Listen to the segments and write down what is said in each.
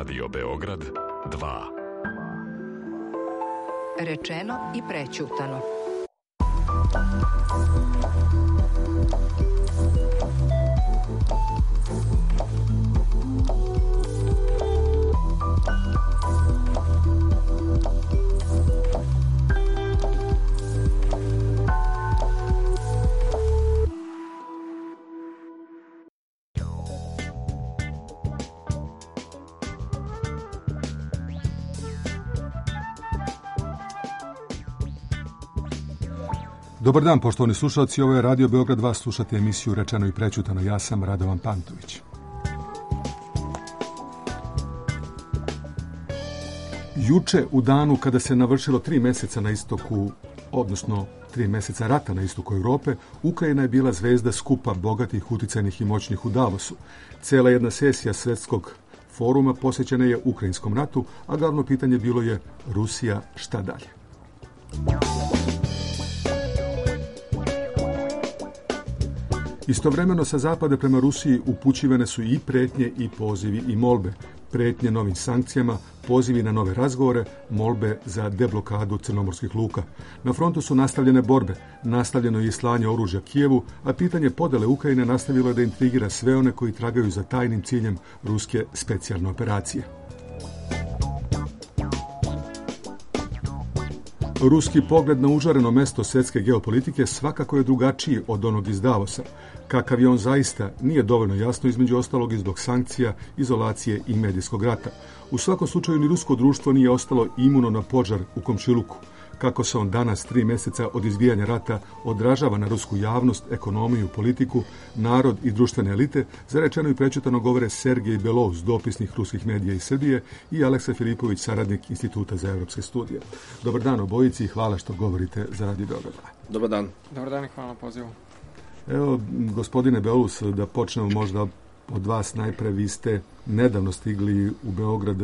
Radio Beograd 2. Rečeno i prećutano. Dobar dan, poštovani slušalci, ovo je Radio Beograd 2, slušate emisiju Rečeno i prećutano. Ja sam Radovan Pantović. Juče, u danu kada se navršilo 3 meseca na istoku, odnosno 3 meseca rata na istoku Europe, Ukrajina je bila zvezda skupa bogatih, uticajnih i moćnih u Davosu. Cela jedna sesija svetskog foruma posvećena je ukrajinskom ratu, a glavno pitanje bilo je Rusija, šta dalje? Istovremeno sa zapada prema Rusiji upućivane su i pretnje i pozivi i molbe. Pretnje novim sankcijama, pozivi na nove razgovore, molbe za deblokadu crnomorskih luka. Na frontu su nastavljene borbe, nastavljeno je i slanje oružja Kijevu, a pitanje podele Ukrajine nastavilo je da intrigira sve one koji tragaju za tajnim ciljem ruske specijalne operacije. Ruski pogled na užareno mesto svjetske geopolitike svakako je drugačiji od onog iz Davosa. Kakav je on zaista, nije dovoljno jasno, između ostalog i zbog sankcija, izolacije i medijskog rata. U svakom slučaju ni rusko društvo nije ostalo imuno na požar u komšiluku. Kako se on danas, 3 meseca od izbijanja rata, odražava na rusku javnost, ekonomiju, politiku, narod i društvene elite, za Rečeno i prećutano govore Sergej Belov s dopisnih ruskih medija iz Srbije i Aleksa Filipović, saradnik Instituta za evropske studije. Dobar dan obojici i hvala što govorite za Radio Beograd. Dobar dan. Dobar dan i hvala na pozivu. Evo, gospodine Belus, da počnemo možda od vas najpre. Vi ste nedavno stigli u Beograd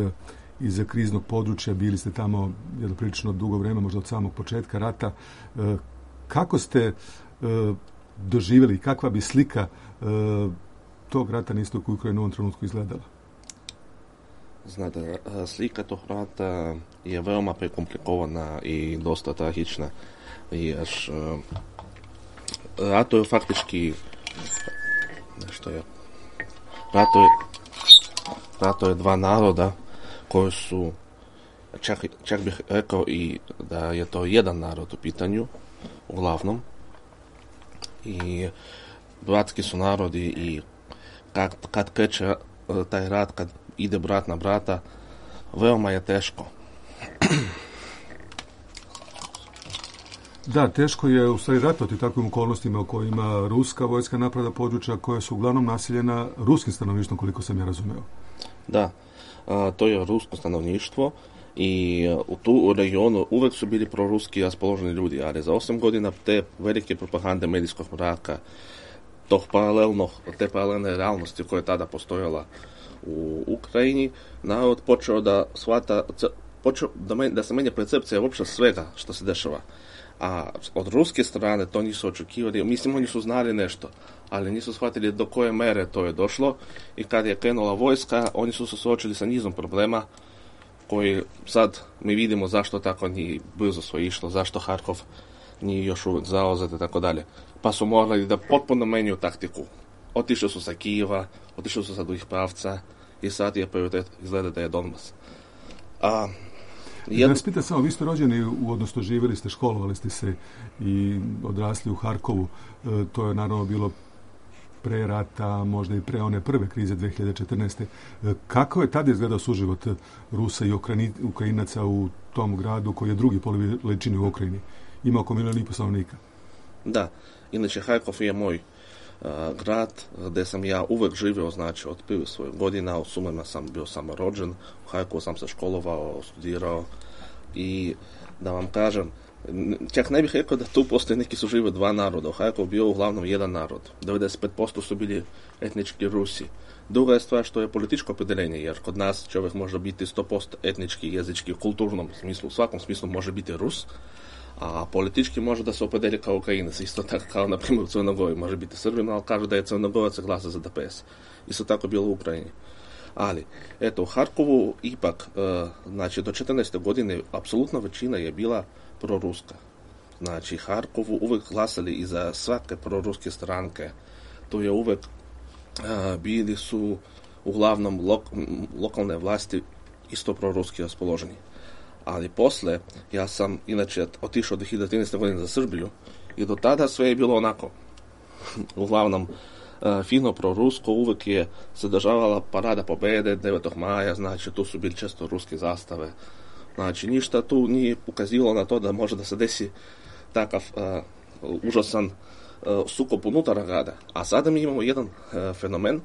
iz kriznog područja, bili ste tamo jedno prilično dugo vreme, možda od samog početka rata. Kako ste doživjeli, kakva bi slika tog rata na istoku Ukrajine u ovom trenutku izgledala? Znate, slika tog rata je veoma prekomplikovana i dosta tragična. Jer rato je faktički rato je dva naroda koji su, čak bih rekao i da je to jedan narod u pitanju, uglavnom. I bratski su narodi i kad kreće taj rat, kad ide brat na brata, veoma je teško. Da, teško je u stvari ratovati takvim okolnostima u kojima ruska vojska napada područja koja su uglavnom naseljena ruskim stanovništvom, koliko sam ja razumeo. Da, to je rusko stanovništvo i u regionu uvek su bili proruski raspoloženi ljudi, ali za 8 godina te velike propagande medijskog mraka, te paralelne realnosti koja je tada postojala u Ukrajini, narod počeo da shvata, da se menja percepcija uopšte svega što se dešava. A od ruske strane to nisu očekivali, mislim oni su znali nešto, ali nisu shvatili do koje mere to je došlo i kad je krenula vojska, oni su se suočili sa nizom problema koji sad mi vidimo zašto tako nije brzo sve išlo, zašto Harkov nije još uvijek zauzet i tako dalje. Pa su morali da potpuno menjaju taktiku. Otišli su sa Kijeva, otišli su sa drugih pravca i sad je prioritet izgleda da je Donbas. Da vas pitam samo, vi ste rođeni, odnosno živjeli ste, školovali ste se i odrasli u Harkovu. To je naravno bilo pre rata, možda i pre one prve krize 2014. Kako je tada izgledao suživot Rusa i Ukrajinaca u tom gradu koji je drugi po veličini u Ukrajini? Ima oko 1,5 milijuna stanovnika. Da, inače Harkov je moj grad gdje sam ja uvek živio, znači od prvih svojih godina. U Sumerima sam bio samo rođen, u Harkovu sam se školovao, studirao i da vam kažem, čak ne bih rekao da tu postoje neki su žive dva naroda. U Harkovu bio uglavnom jedan narod. 95% su bili etnički Rusi. Druga je stvar što je političko opredeljenje, jer kod nas čovjek može biti 100% etnički, jezički, u kulturnom smislu, u svakom smislu može biti Rus, a politički može da se opredeli kao Ukrajinac, isto tako kao na primjer u Crnoj Gori može biti Srbin, ali kaže da je Crnogorac glasa za DPS. Isto tako bilo u Ukrajini. Ali, eto, u Harkovu ipak, znači, do 14. godine apsolutna većina je bila proruska. Znači, Harkovu uvek glasali i za svake proruske stranke. To je uvek bili su uglavnom lokalne vlasti isto proruski raspoloženi. Ali posle, ja sam inače otišao 2013. godine za Srbiju i do tada sve je bilo onako. Uglavnom, fino prorusko, uvek je se državala parada pobede 9. maja, znači tu su bili često ruske zastave. Znači, ništa tu nije ukazivalo na to da može da se desi takav užasan sukob unutar grada. A sada mi imamo jedan fenomen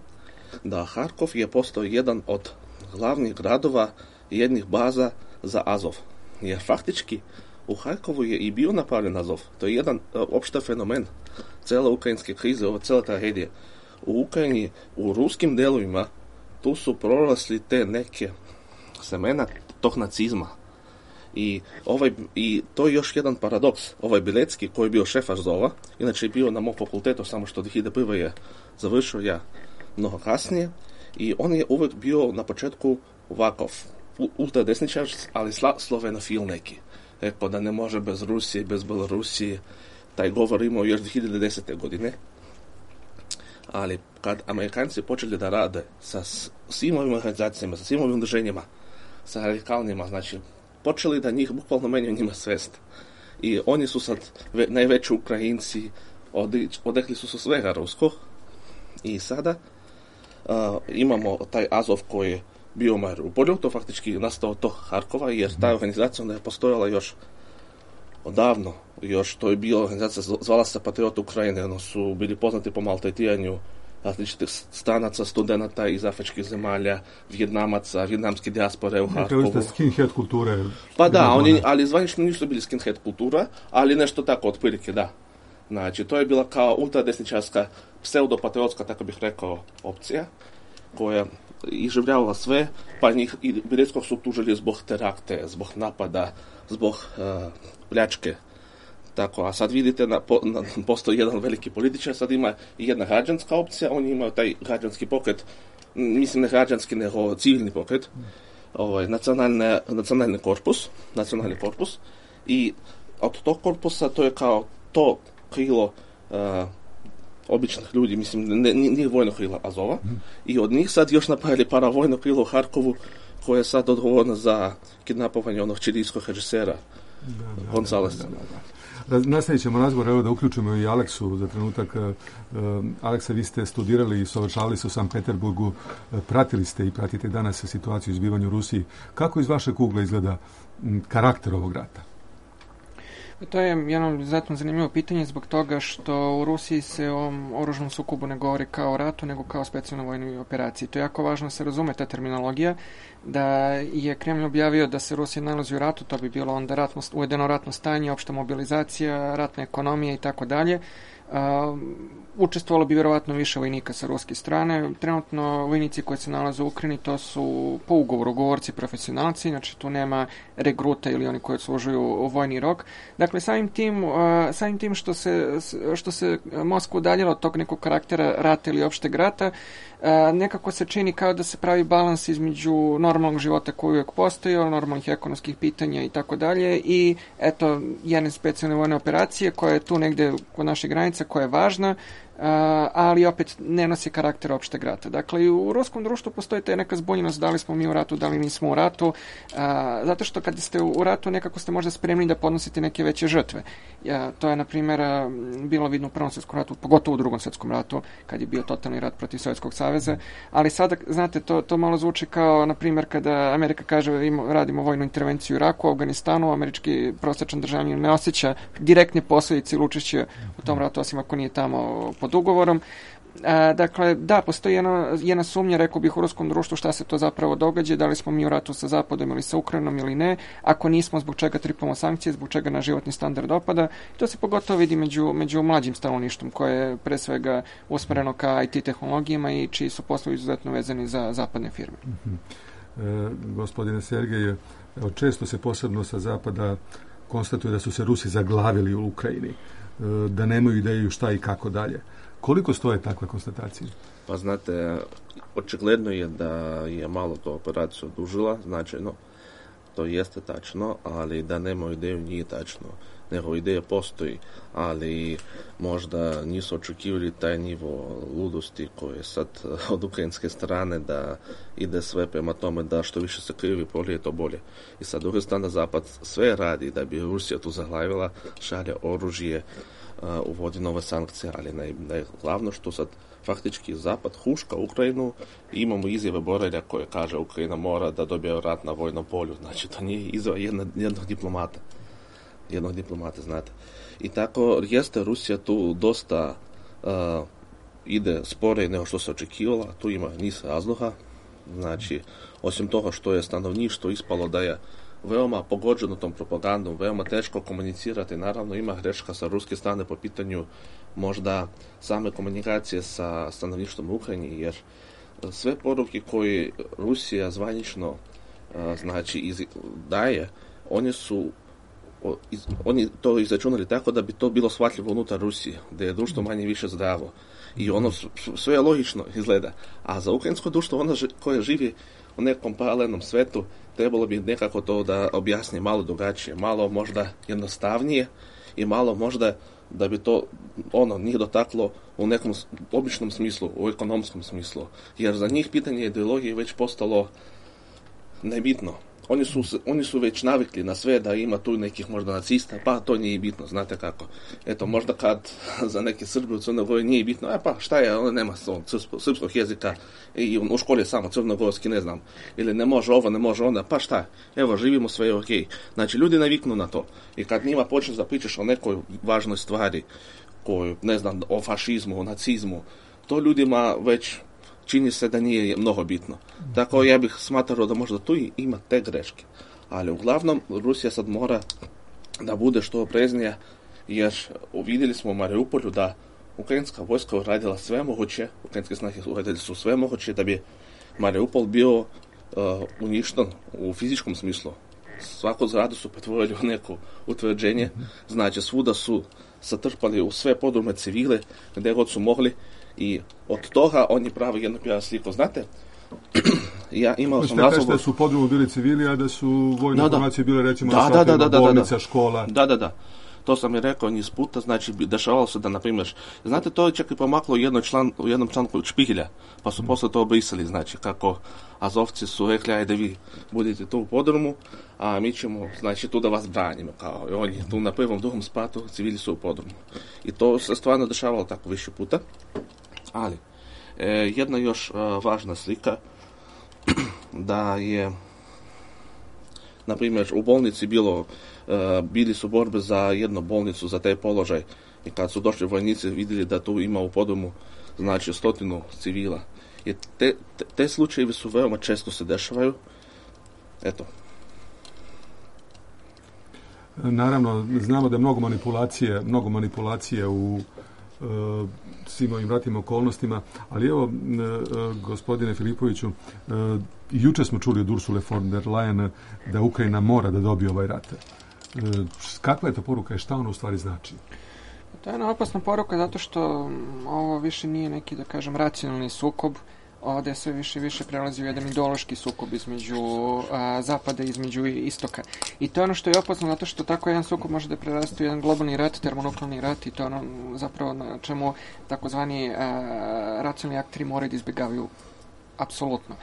da Harkov je postao jedan od glavnih gradova jednih baza za Azov. Jer faktički u Harkovu je i bio napravljen Azov. To je jedan opšta fenomen cele ukrajinske krize, ova cela tragedija. U Ukrajini, u ruskim delovima, tu su prorasli te neke semena tog nacizma. I to je još jedan paradoks. Ovaj Bilecki, koji je bio šef Azova, inače je bio na mom fakultetu, samo što 2001. je završio ja mnogo kasnije, i on je uvek bio na početku ovakav ultradesničar, ali slovenofil neki. Rekao da ne može bez Rusije, bez Belorusije. Taj govor imao još 2010. godine. Ali kad Amerikanci počeli da rade sa svim ovim organizacijama, sa svim ovim udruženjima, sa radikalnima, znači počeli da njih bukvalno menjaju njima svest. I oni su sad najveći Ukrajinci, odrekli su se svega ruskog. I sada imamo taj Azov koji je bio u Mariupolju, to faktički nastao to Harkova, jer ta organizacija onda je postojala još odavno. Još to je bila organizacija, zvala se Patriot Ukrajine, ono su bili poznati po maltretiranju različitih stranaca, studenata iz afričkih zemalja, Vjetnamaca, vjetnamske dijaspore u Harkovu. Kao skinhead kulture. Pa da, ali zvanično nisu bili skinhead kultura, ali nešto tako otprilike, da. Znači, to je bila kao ultradesničarska, pseudopatriotska, tako bih rekao, opcija, koja iživljavala sve, pa njih i Bileckog su tužili zbog terakte, zbog napada, zbog pljačke. Tako, a sad vidite, postoji jedan veliki političar, sad ima i jedna građanska opcija, oni imaju taj građanski pokret, mislim ne građanski, nego civilni pokret, nacionalni korpus, i od tog korpusa to je kao to krilo običnih ljudi, mislim, nije vojno krilo Azova, i od njih sad još napravili paravojno krilo u Harkovu, koje je sad odgovorno za kidnapovanje onog čilijskog režisera Gonzalesa. Nastavit ćemo razgovor, evo da uključimo i Aleksu za trenutak. Aleksa, vi ste studirali i savršavali se u Sankt Peterburgu, pratili ste i pratite danas situaciju u izbivanju u Rusiji. Kako iz vašeg ugla izgleda karakter ovog rata? To je jedno izuzetno zanimljivo pitanje zbog toga što u Rusiji se o ovom oružnom sukobu ne govori kao o ratu, nego kao o specijalnoj vojnoj operaciji. To je jako važno da se razume ta terminologija, da je Kremlj objavio da se Rusija nalazi u ratu, to bi bilo onda uvedeno ratno stanje, opšta mobilizacija, ratna ekonomija i tako dalje. Učestvovalo bi vjerovatno više vojnika sa ruske strane. Trenutno vojnici koji se nalaze u Ukrajini, to su po ugovoru govorci profesionalci, znači tu nema regruta ili oni koji služuju vojni rok. Dakle, samim tim što se Moskva udaljila od tog nekog karaktera rata ili opšteg rata, nekako se čini kao da se pravi balans između normalnog života koji uvijek postoji, normalnih ekonomskih pitanja i tako dalje, i eto jedne specijalne vojne operacije koja je tu negde kod naše granice, koja je važna, ali opet ne nosi karakter opšteg rata. Dakle, i u ruskom društvu postoji ta neka zbunjenost da li smo mi u ratu, da li nismo u ratu, zato što kad ste u ratu nekako ste možda spremni da podnosite neke veće žrtve. To je, na primjer, bilo vidno u Prvom svjetskom ratu, pogotovo u Drugom svjetskom ratu, kad je bio totalni rat protiv Sovjetskog saveza, ali sada, znate, to malo zvuči kao, na primjer, kada Amerika kaže radimo vojnu intervenciju u Iraku, u Afganistanu, američki prosječan državljanin ne osjeća direktne posljedice ili učešće u tom ratu, osim ako nije tamo pod ugovorom. Dakle, da, postoji jedna sumnja, rekao bih, u ruskom društvu šta se to zapravo događa, da li smo mi u ratu sa Zapadom ili sa Ukrajinom ili ne, ako nismo, zbog čega tripamo sankcije, zbog čega na životni standard opada. To se pogotovo vidi među mlađim stanovništvom, koje je pre svega usmereno ka IT tehnologijama i čiji su poslovi izuzetno vezani za zapadne firme. Gospodine Sergej, često se posebno sa Zapada konstatuje da su se Rusi zaglavili u Ukrajini, da nemaju ideju šta i kako dalje. Koliko stoje takve konstatacije? Pa znate, očigledno je da je malo to operaciju odužila, značajno, to jeste tačno, ali da nema ideju nije tačno. Nego ideja postoji, ali možda nisu očekivali taj nivo ludosti koji je sad od ukrajinske strane da ide sve prema tome da što više se krivi polije to bolje. I sad druge strane Zapad sve radi da bi Rusija tu zaglavila, šalje oružje, uvodi nove sankcije, ali najglavno što sad faktički Zapad huška Ukrajinu i imamo izjave Borelja koje kaže Ukrajina mora da dobije rat na vojnom polju. Znači to nije izjava jednog diplomata, znate. I tako jeste Rusija tu dosta ide spore nego što se očekivala, tu ima niz razloga. Znači, osim toga što je stanovništvo ispalo da je veoma pogođeno tom propagandom, veoma teško komunicirati, naravno ima greška sa ruske strane po pitanju možda same komunikacije sa stanovništvom u Ukrajini, jer sve poruke koje Rusija zvanično daje, oni to izračunali tako da bi to bilo shvatljivo unutar Rusije, da je društvo manje više zdravo. I ono sve logično izgleda. A za ukrajinsko društvo, ono koje živi u nekom paralelnom svetu, trebalo bi nekako to da objasni malo drugačije, malo možda jednostavnije i malo možda da bi to nije dotaklo u nekom običnom smislu, u ekonomskom smislu. Jer za njih pitanje ideologije već postalo nebitno. Oni su već navikli na sve da ima tu nekih možda nacista, pa to nije bitno, znate kako. Eto, možda kad za neke Srbe u Crnoj Gori nije bitno, pa šta je, on nema srpskog jezika i u školi je samo crnogorski, ne znam, ili ne može ovo, ne može onda, pa šta, evo, živimo, sve je okej. Znači, ljudi naviknu na to. I kad njima počneš da pričaš o nekoj važnoj stvari, koju, ne znam, o fašizmu, o nacizmu, to ljudima već čini se da nije mnogo bitno. Tako ja bih smatrao da možda tu ima te greške. Ali uglavnom Rusija sad mora da bude što opreznija, jer vidjeli smo u Mariupolju da ukrajinska vojska uradila sve moguće, ukrajinske snage uradili su sve moguće da bi Mariupol bio uništen u fizičkom smislu. Svaku zgradu su pretvorili u neko utvrđenje, znači svuda su satrpali u sve podrume civile, gdje god su mogli, i od toga oni pravi jednu pravu sliku. Znate, ja imao sam razgovor... Da su u podrumu bili civili, a da su vojne formacije bile recimo na bolnica, škola. Da. To sam je rekao niz puta, znači dešavalo se da, na primjer, znate, to je čak i pomaklo u jednom članku Špihelja, pa su posle to obrisali, znači, kako Azovci su rekli, ajde vi budete tu u podrumu, a mi ćemo, znači, tu da vas branimo, kao i oni tu na prvom, drugom spratu, civili su u podrumu. I to se stvarno dešavalo tako više puta, ali jedna još važna slika, da je, na primjer, u bolnici bili su borbe za jednu bolnicu, za taj položaj, i kad su došli vojnici vidjeli da tu ima u podrumu, znači, 100 civila. I te slučajevi su veoma često se dešavaju. Eto. Naravno, znamo da je mnogo manipulacije u svim ovim ratnim okolnostima, ali evo, gospodine Filipoviću, juče smo čuli od Ursule von der Leyen da Ukrajina mora da dobije ovaj rat. Kakva je to poruka i šta ono u stvari znači? To je jedna opasna poruka zato što ovo više nije neki, da kažem, racionalni sukob. Ovdje sve više i više prelazi u jedan ideološki sukob između zapada i između istoka. I to je ono što je opasno zato što tako jedan sukob može da preraste u jedan globalni rat, termonuklearni rat, i to je ono zapravo na čemu takozvani racionalni akteri moraju da izbjegavaju apsolutno.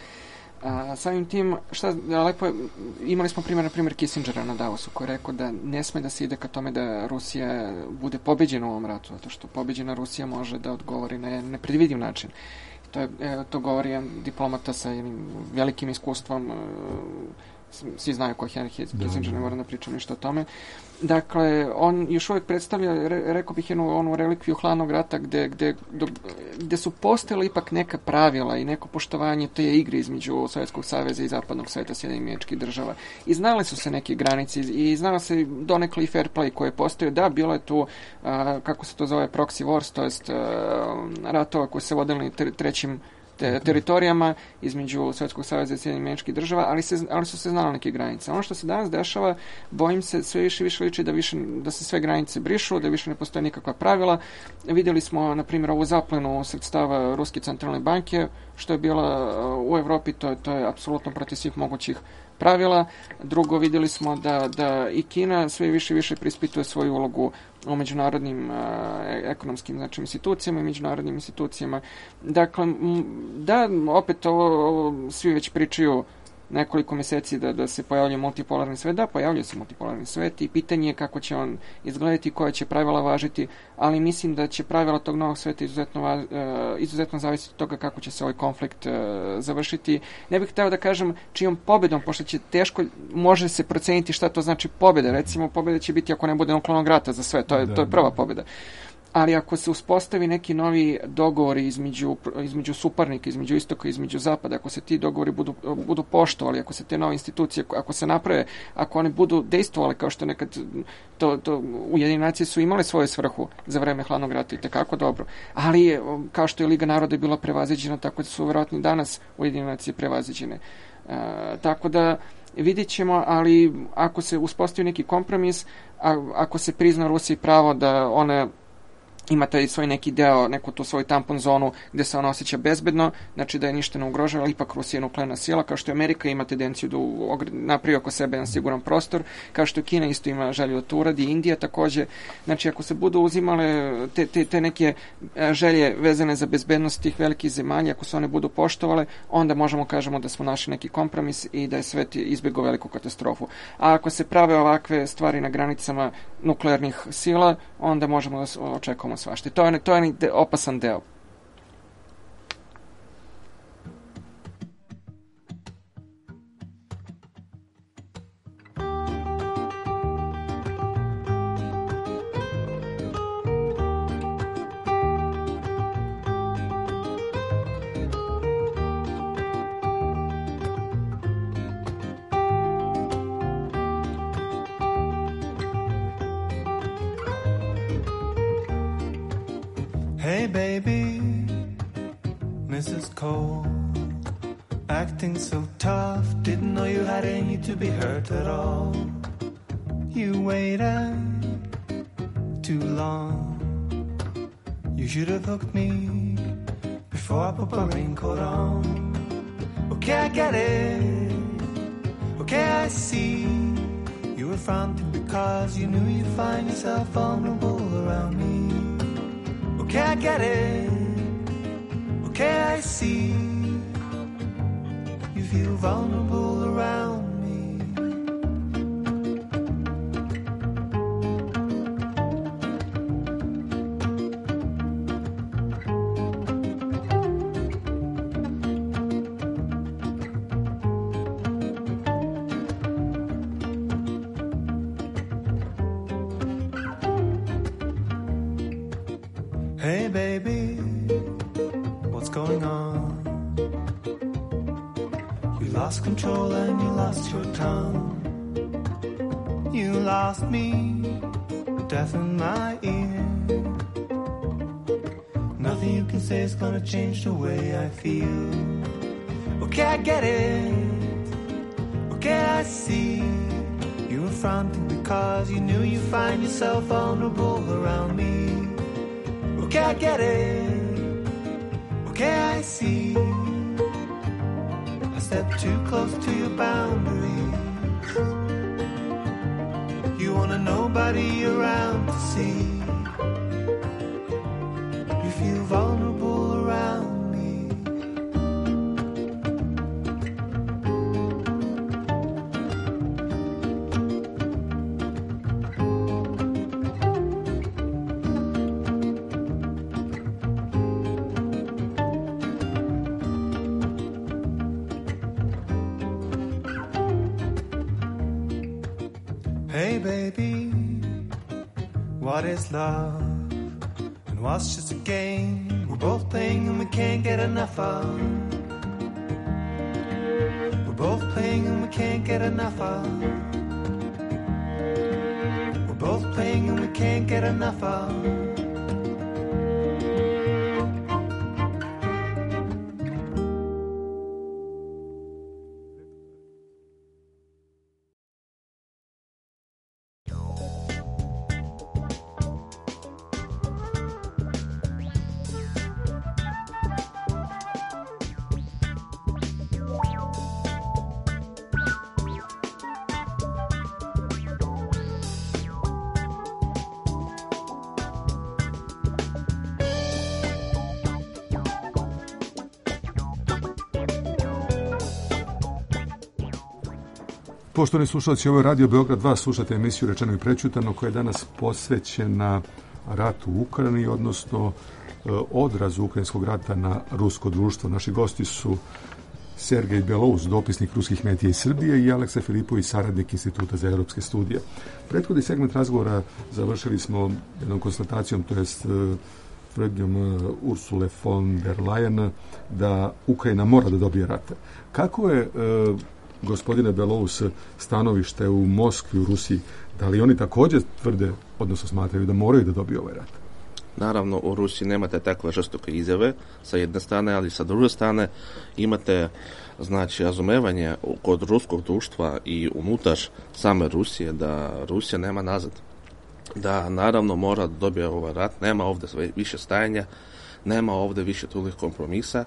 Samim tim, lepo imali smo na primjer Kissingera na Davosu, koji je rekao da ne sme da se ide ka tome da Rusija bude pobeđena u ovom ratu, zato što pobeđena Rusija može da odgovori na nepredvidiv način. To govori jedan diplomata sa jednim velikim iskustvom, svi znaju ko je Henry Kissinger, ne moram da pričam ništa o tome. Dakle, on još uvijek predstavlja, rekao bih, jednu relikviju hladnog rata gde su postojala ipak neka pravila i neko poštovanje te igre između Sovjetskog saveza i zapadnog sveta, Sjedinjenih Američkih Država. I znali su se neke granice i znala se donekle i fair play koje postoje. Da, bilo je tu, kako se to zove, proxy wars, to jest ratova koji se vodili trećim teritorijama između Sovjetskog saveza i Sjedinjenih Američkih Država, ali su se znale neke granice. Ono što se danas dešava, bojim se, sve više liči da se sve granice brišu, da više ne postoje nikakva pravila. Vidjeli smo, na primjer, ovu zaplenu sredstava Ruske centralne banke, što je bila u Evropi, to je apsolutno protiv svih mogućih pravila. Drugo, vidjeli smo da i Kina sve više prispituje svoju ulogu u međunarodnim ekonomskim institucijama i međunarodnim institucijama. Dakle, da, opet ovo svi već pričaju nekoliko mjeseci da se pojavljuje multipolarni svet. Da, pojavljuje se multipolarni svet i pitanje je kako će on izgledati, koja će pravila važiti, ali mislim da će pravila tog novog sveta izuzetno zavisiti od toga kako će se ovaj konflikt završiti. Ne bih htio da kažem čijom pobedom, pošto će teško, može se proceniti šta to znači pobjeda. Recimo, pobjeda će biti ako ne bude nuklearnog rata za sve, to je prva pobjeda. Ali ako se uspostavi neki novi dogovori između suparnika, između istoka i između zapada, ako se ti dogovori budu poštovali, ako se te nove institucije, ako se naprave, ako one budu dejstvovale kao što nekad Ujedinjene nacije su imale svoju svrhu za vreme hladnog rata i tekako dobro. Ali kao što je Liga naroda bila prevaziđena, tako da su vjerojatno danas Ujedinjene nacije prevaziđene. Tako da vidjet ćemo, ali ako se uspostavi neki kompromis, ako se prizna Rusiji pravo da ona ima taj svoj neki deo, neku tu svoju tampon zonu gdje se ona osjeća bezbedno, znači da je ništa ne ugrožava, ali ipak Rusija je nuklearna sila, kao što je Amerika ima tendenciju da napravi oko sebe jedan siguran prostor, kao što Kina isto ima želju da to uradi, Indija također. Znači ako se budu uzimale te neke želje vezane za bezbednost tih velikih zemalja, ako se one budu poštovale, onda možemo kažemo da smo našli neki kompromis i da je svet izbjegao veliku katastrofu. A ako se prave ovakve stvari na granicama nuklearnih sila, onda možemo da očekujemo svašta. To je opasan deo. Hey baby, Mrs. Cole, acting so tough, didn't know you had any to be hurt at all. You waited too long, you should have hooked me before I put my raincoat on. Okay, I get it, okay, I see, you were fronting because you knew you'd find yourself vulnerable around me. Okay, I get it. Okay, I see. You feel vulnerable around me. Hey baby, what's going on? You lost control and you lost your tongue. You lost me, deaf in my ear. Nothing you can say is gonna change the way I feel. Okay, I get it. Okay, I see. You were fronting because you knew you'd find yourself vulnerable around me. Okay, I get it. Okay, I see. I stepped too close to your boundaries. You wanted nobody around to see. You feel vulnerable around me. Hey baby, what is love? And what's just a game we're both playing and we can't get enough of? We're both playing and we can't get enough of. We're both playing and we can't get enough of. Poštovani slušalci, ovo je Radio Beograd 2, slušate emisiju Rečeno i prećutano koja je danas posvećena ratu u Ukrajini, odnosno odrazu ukrajinskog rata na rusko društvo. Naši gosti su Sergej Belous, dopisnik ruskih medija iz Srbije, i Aleksa Filipović, saradnik Instituta za europske studije. Prethodni segment razgovora završili smo jednom konstatacijom, to jest tvrdnjom Ursule von der Leyen da Ukrajina mora da dobije rat. Kako je, gospodine Belous, stanovište u Moskvi, u Rusiji? Da li oni također tvrde, odnosno smatraju da moraju da dobiju ovaj rat? Naravno, u Rusiji nemate takve žestoke izjave sa jedne strane, ali sa druge strane imate, znači, razumevanje kod ruskog društva i unutar same Rusije da Rusija nema nazad. Da naravno mora da dobije ovaj rat, nema ovdje više stajanja, nema ovdje više tulih kompromisa,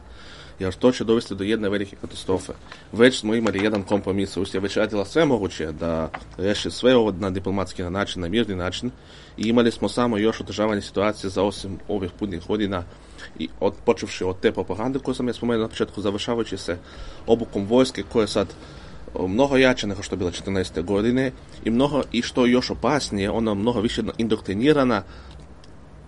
jer to će dovesti do jedne velike katastrofe. Već smo imali jedan kompromis, Rusija već radila sve moguće da reši sve ovo na diplomatski način, na mirni način, i imali smo samo još održavanje situacije za 8 ovih putnih godina, i počevši od te propagande koju sam ja spomenuo na početku, završavajući se obukom vojske koja je sad mnogo jače nego što je bila 14. godine i što je još opasnije, ona mnogo više indoktrinirana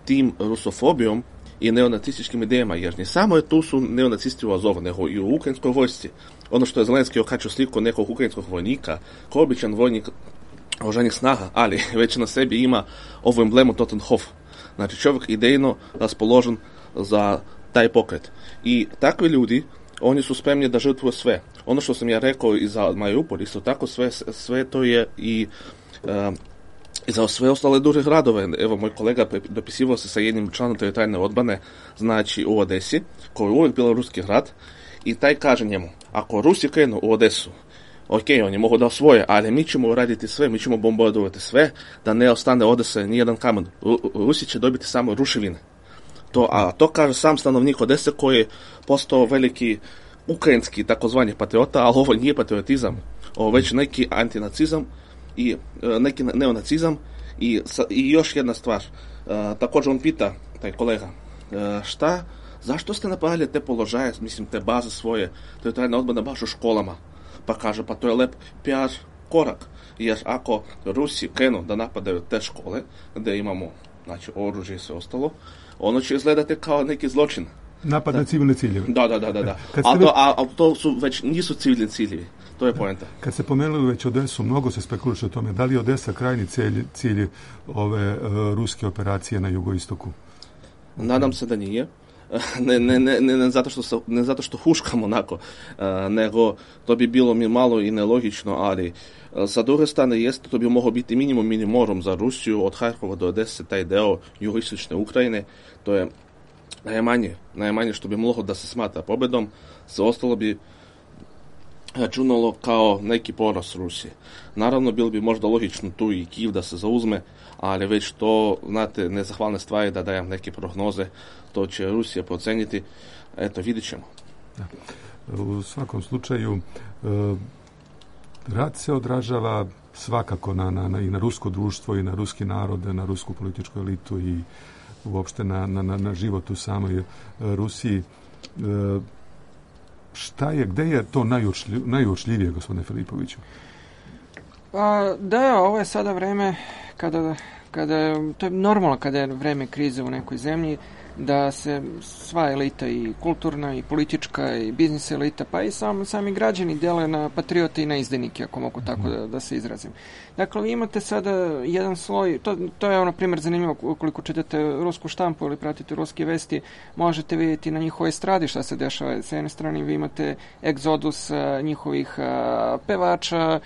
tim rusofobijom i neonacističkim idejama, jer ne samo je tu su neonacisti u Azovu, nego i u ukrajinskoj vojsci. Ono što je Zelenski okačio sliku nekog ukrajinskog vojnika, kao običan vojnik oružanih snaga, ali već na sebi ima ovu emblemu Totenhof. Znači, čovjek idejno raspoložen za taj pokret. I takvi ljudi, oni su spremni da žrtvuju sve. Ono što sam ja rekao i za Mariupol, isto tako sve to je i za sve ostale druge gradove. Evo, moj kolega dopisivao se sa jednim članom teritorijalne odbrane, znači u Odesi, koji je uvijek bila ruski grad, i taj kaže njemu, ako Rusi krenu u Odesu, ok, oni mogu da osvoje, ali mi ćemo raditi sve, mi ćemo bombardovati sve, da ne ostane Odese nijedan kamen. Rusi će dobiti samo ruševine. To kaže sam stanovnik Odese, koji je postao veliki ukrajinski takozvani patriota, ali ovo nije patriotizam, ovo već neki antinacizam i neki neonacizam. I još jedna stvar, također on pita, taj kolega, zašto ste napravili te položaje, mislim, te baze svoje teritorijalne odbrane baš u školama? Pa kaže, pa to je lep PR korak, jer ako Rusi krenu da napadaju te škole, gdje imamo, znači, oružje i sve ostalo, ono će izgledati kao neki zločin. Napad na civilne ciljeve. Da. Ali to su već nisu civilni ciljevi. To je poenta. Kad ste pomenuli već Odesu, mnogo se spekuliše o tome. Da li je Odesa krajni cilj ove ruske operacije na jugoistoku? Nadam se da nije. Ne zato što huškamo onako, nego to bi bilo mi malo i nelogično, ali sa druge strane jeste, to bi moglo biti minimum minimorum za Rusiju, od Harkova do Odese, taj deo jugoistočne Ukrajine, to je najmanje što bi moglo da se smatra pobedom, sve ostalo bi računalo kao neki poraz Rusije. Naravno, bilo bi možda logično tu i Kijev da se zauzme, ali već to, znate, nezahvalne stvari da dajem neke prognoze, to će Rusija proceniti, eto, vidit ćemo. U svakom slučaju, rat se odražava svakako i na rusko društvo i na ruski narod, na rusku političku elitu i uopšte na život u samoj Rusiji. Gde je to najuočljivije, gospodine Filipoviću? Da, ovo je sada vreme kada to je normalno kada je vreme krize u nekoj zemlji, da se sva elita, i kulturna i politička i biznis elita, pa i sami građani dele na patriote i na izdajnike, ako mogu tako da se izrazim. Dakle, vi imate sada jedan sloj, to je ono primjer zanimljivo, ukoliko čitate rusku štampu ili pratite ruske vesti, možete vidjeti na njihovoj estradi šta se dešava. Sa jedne strane vi imate egzodus njihovih pevača,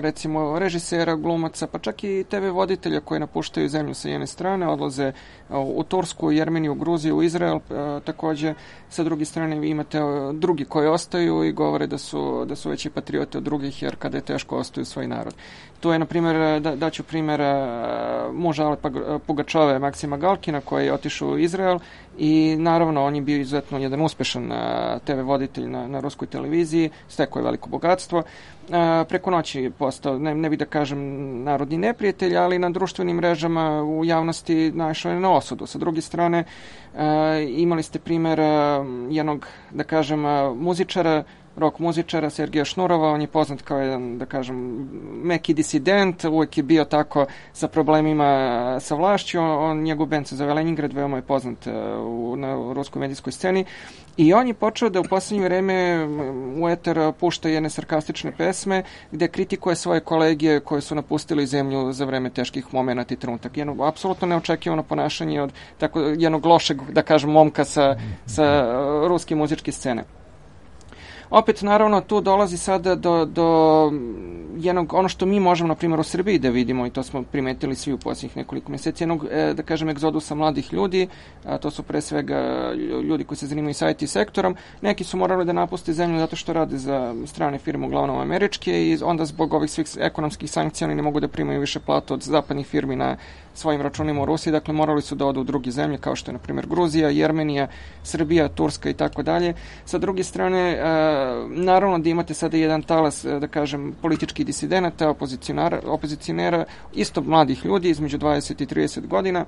recimo režisera, glumaca, pa čak i TV voditelja koji napuštaju zemlju sa jedne strane, odlaze u Tursku, Jermeniju, Gruziju, Izrael, također sa druge strane vi imate drugi koji ostaju i govore da su veći patriote od drugih, jer kada je teško ostaju svoj narod. Tu je, na primjer, daću primjer muža Ale Pugačove, Maksima Galkina, koji je otišao u Izrael i naravno on je bio izuzetno jedan uspešan TV voditelj na ruskoj televiziji, stekao je veliko bogatstvo. Preko noći postao, ne bih da kažem narodni neprijatelj, ali na društvenim mrežama u javnosti naišao je na osudu. Sa druge strane, imali ste primjer jednog, da kažem, muzičara rock muzičara Sergeja Šnurova. On je poznat kao jedan, da kažem, meki disident, uvijek je bio tako sa problemima sa vlašću. Njegov band se zove Leningrad, veoma je poznat na ruskoj medijskoj sceni. I on je počeo da u posljednje vreme u eter pušta jedne sarkastične pesme gde kritikuje svoje kolege koji su napustili zemlju za vreme teških momenata i trenutak. Jedno apsolutno neočekivano ponašanje od tako jednog lošeg, da kažem, momka sa ruske muzičke scene. Opet, naravno, tu dolazi sada do jednog, ono što mi možemo, na primjer, u Srbiji da vidimo, i to smo primetili svi u posljednjih nekoliko mjeseci, jednog, da kažem, egzodusa mladih ljudi, a to su pre svega ljudi koji se zanimaju sa IT sektorom. Neki su morali da napuste zemlju zato što rade za strane firme, uglavnom američke, i onda zbog ovih svih ekonomskih sankcija oni ne mogu da primaju više platu od zapadnih firmi na svojim računima u Rusiji, dakle morali su da odu u druge zemlje kao što je, na primjer, Gruzija, Jermenija, Srbija, Turska i tako dalje. Sa druge strane, naravno da imate sada jedan talas, da kažem, političkih disidenata, opozicionera, isto mladih ljudi između 20 i 30 godina,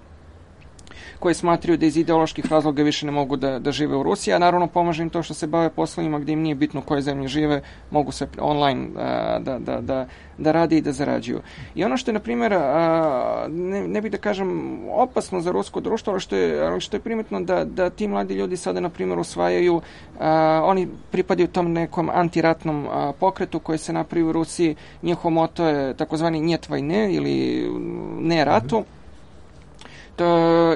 koji smatraju da iz ideoloških razloga više ne mogu da žive u Rusiji, a naravno pomaže im to što se bave poslovima gdje im nije bitno u kojoj zemlji žive, mogu se online da rade i da zarađuju. I ono što je, na primjer, ne bih da kažem opasno za rusko društvo, ali što je primetno da ti mladi ljudi sada, na primjer, usvajaju, oni pripadaju tom nekom antiratnom pokretu koji se napravi u Rusiji. Njihov moto je takozvani njet vajne ili ne ratu.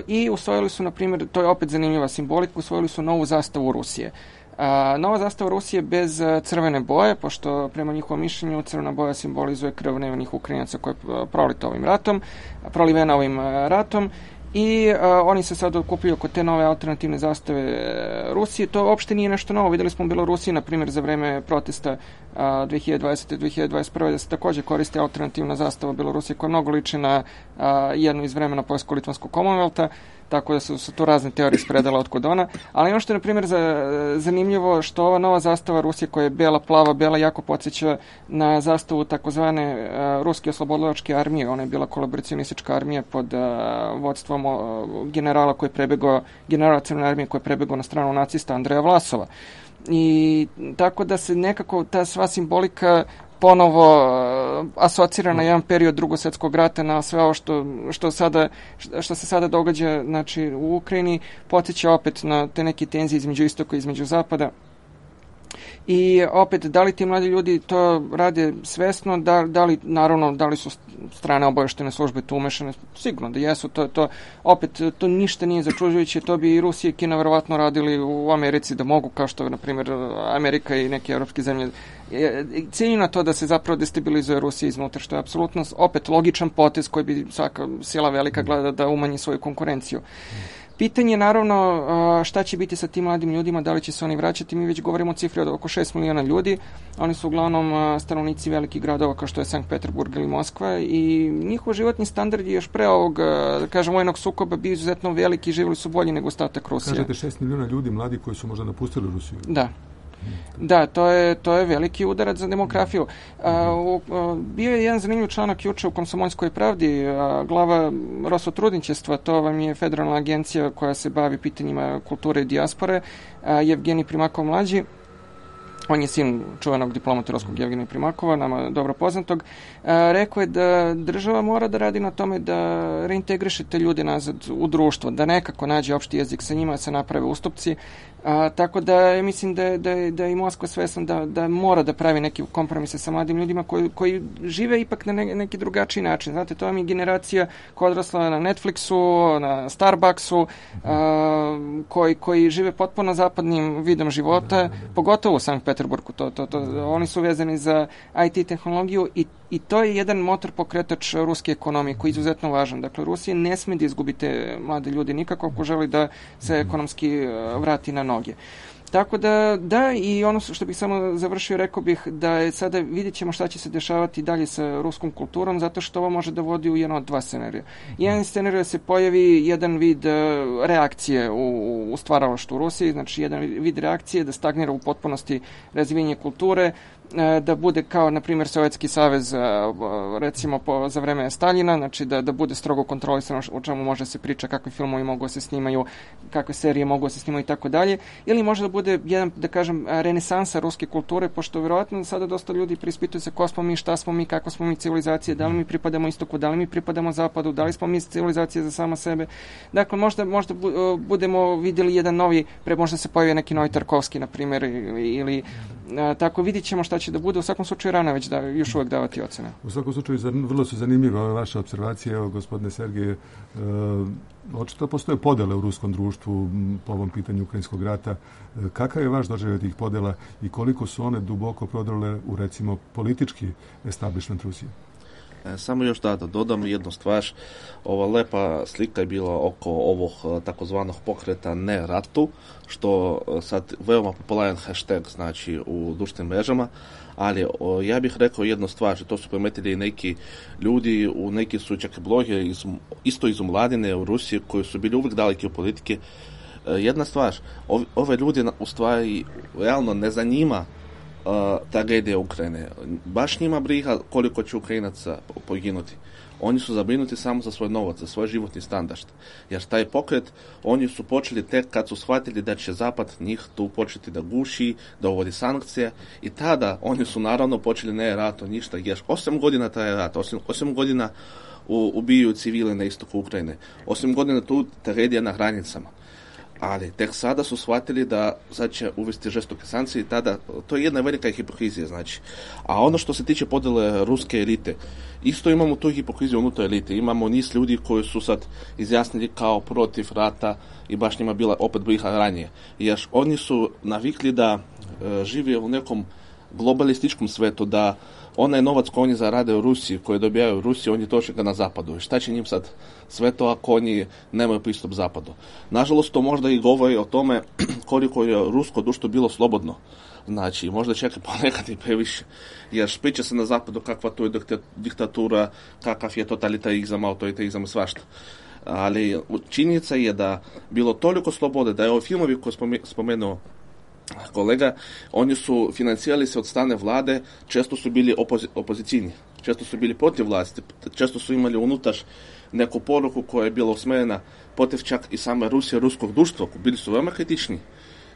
I usvojili su, na primjer, to je opet zanimljiva simbolika, usvojili su novu zastavu Rusije. Nova zastava Rusije bez crvene boje, pošto prema njihovom mišljenju crvena boja simbolizuje krv nevinih Ukrajinaca koja je prolivena ovim ratom. I oni se sad okupljuju oko te nove alternativne zastave Rusije. To uopšte nije nešto novo. Vidjeli smo u Belorusiji, na primjer, za vreme protesta 2020. i 2021. da se također koriste alternativna zastava Belorusije koja mnogo liči na jednu iz vremena Poljsko-Litvanskog Commonwealtha, tako da su tu razne teorije spredala otkud ona. Ali ono što je, na primjer, zanimljivo, što ova nova zastava Rusije koja je bela, plava, bela, jako podsjeća na zastavu takozvane Ruske oslobodilačke armije. Ona je bila kolaboracionistička armija pod vodstvom generala Crvene armije koji je prebegao na stranu nacista Andreja Vlasova. I tako da se nekako ta sva simbolika ponovo asocira na jedan period Drugog svjetskog rata, na sve ovo što se sada događa, znači, u Ukrajini, podsjeća opet na te neke tenzije između istoka i između zapada. I opet, da li ti mladi ljudi to rade svesno, da li su strane obavještajne službe tu umešane? Sigurno da jesu. To ništa nije začuđujuće, to bi i Rusija i Kina verovatno radili u Americi da mogu, kao što, na primjer, Amerika i neke evropske zemlje cilju na to da se zapravo destabilizuje Rusija iznutra, što je apsolutno opet logičan potez koji bi svaka sila velika gleda da umanji svoju konkurenciju. Pitanje je, naravno, šta će biti sa tim mladim ljudima, da li će se oni vraćati. Mi već govorimo o cifri od oko 6 miliona ljudi. Oni su uglavnom stanovnici velikih gradova kao što je Sankt Peterburg ili Moskva i njihov životni standard je još pre ovog, da kažem, vojnog sukoba bio izuzetno veliki i živjeli su bolji nego ostatak Rusije. Kažete 6 miliona ljudi mladi koji su možda napustili Rusiju. Da, to je veliki udarac za demografiju. Bio je jedan zanimljiv članak juče u Komsomolskoj pravdi, glava Rosotrudničestva, to vam je federalna agencija koja se bavi pitanjima kulture i dijaspore, Jevgenij Primakov mlađi. On je sin čuvenog diplomata ruskog Jevgenija Primakova, nama dobro poznatog. Rekao je da država mora da radi na tome da reintegriše te ljude nazad u društvo, da nekako nađe opšti jezik sa njima, se naprave ustupci. Tako da mislim da je i Moskva svesna da mora da pravi neke kompromise sa mladim ljudima koji žive ipak na neki drugačiji način. Znate, to vam je generacija koja je odrasla na Netflixu, na Starbucksu, koji žive potpuno zapadnim vidom života, pogotovo u Sankt Peterburgu. Oni su vezani za IT tehnologiju i to je jedan motor pokretač ruske ekonomije koji je izuzetno važan. Dakle, Rusija ne sme da izgubi te mlade ljude nikako ako želi da se ekonomski vrati na noge. Tako da, i ono što bih samo završio, rekao bih da je sada vidjet ćemo šta će se dešavati dalje sa ruskom kulturom, zato što ovo može da vodi u jedno od dva scenarija. Jedan scenarij da se pojavi jedan vid reakcije u stvaralaštvu u Rusiji, znači jedan vid reakcije da stagnira u potpunosti razvijenje kulture, da bude kao, na primjer, Sovjetski savez, recimo za vreme Staljina, znači da bude strogo kontrolisano o čemu može se priča, kakvi filmovi mogu se snimaju, kakve serije mogu se snimaju i tako dalje, ili može da bude jedan, da kažem, renesansa ruske kulture, pošto vjerojatno sada dosta ljudi prispituju se ko smo mi, šta smo mi, kakva smo mi civilizacije, da li mi pripadamo istoku, da li mi pripadamo zapadu, da li smo mi civilizacije za sama sebe. Dakle, možda budemo vidjeli jedan novi, možda se pojavi neki novi Tarkovski, na primjer, ili tako, vidjet ćemo šta će da bude. U svakom slučaju rano već još uvijek davati ocene. U svakom slučaju vrlo su zanimljive ove vaše observacije. Evo, gospodine Sergije, očito postoje podele u ruskom društvu po ovom pitanju ukrajinskog rata. Kakav je vaš doživljaj tih podela i koliko su one duboko prodrle u, recimo, politički establishment Rusije? Samo još da dodam jednu stvar. Ova lepa slika je bila oko ovog takozvanog pokreta ne ratu, što sad veoma popularan hashtag znači u društvenim mrežama, ali ja bih rekao jednu stvar, to su primetili neki ljudi, neki su čak blogeri isto iz omladine u Rusiji koji su bili uvijek daleki od politike. Jedna stvar, ove ljudi u stvari realno ne zanima tragedija Ukrajine. Baš njima briga koliko će Ukrajinaca poginuti. Oni su zabrinuti samo za svoj novac, za svoj životni standard. Jer taj pokret, oni su počeli tek kad su shvatili da će Zapad njih tu početi da guši, da uvodi sankcije i tada oni su naravno počeli ne rat, ništa. Jer 8 godina traje rat, 8 godina ubijaju civile na istoku Ukrajine, 8 godina tu tragedija na granicama. Ali tek sada su shvatili da sad će uvesti žestoke sankcije i tada, to je jedna velika hipokrizija, znači. A ono što se tiče podjele ruske elite, isto imamo tu hipokriziju unutar elite. Imamo niz ljudi koji su sad izjasnili kao protiv rata i baš njima bila opet briga ranije. Jer oni su navikli da žive u nekom globalističkom svetu, da onaj novac koji oni zarade u Rusiji, koji dobijaju u Rusiji, oni troše ga na zapadu. Šta će njim sad sve to ako oni nemaju pristup zapadu? Nažalost, to možda i govori o tome koliko je rusko društvo bilo slobodno. Znači, možda čeka ponekad i previše. Jer priča se na zapadu kakva to je diktatura, kakav je totalitarizam, autoritarizam i svašta. Ali činjenica je da bilo toliko slobode, da je ovi filmovi koje spomenuo kolega, oni su financirali se od strane vlade, često su bili opozicijni, često su bili protiv vlasti, često su imali unutar neku poruku koja je bila usmjerena protiv čak i same Rusije, ruskog društva, bili su veoma kritični.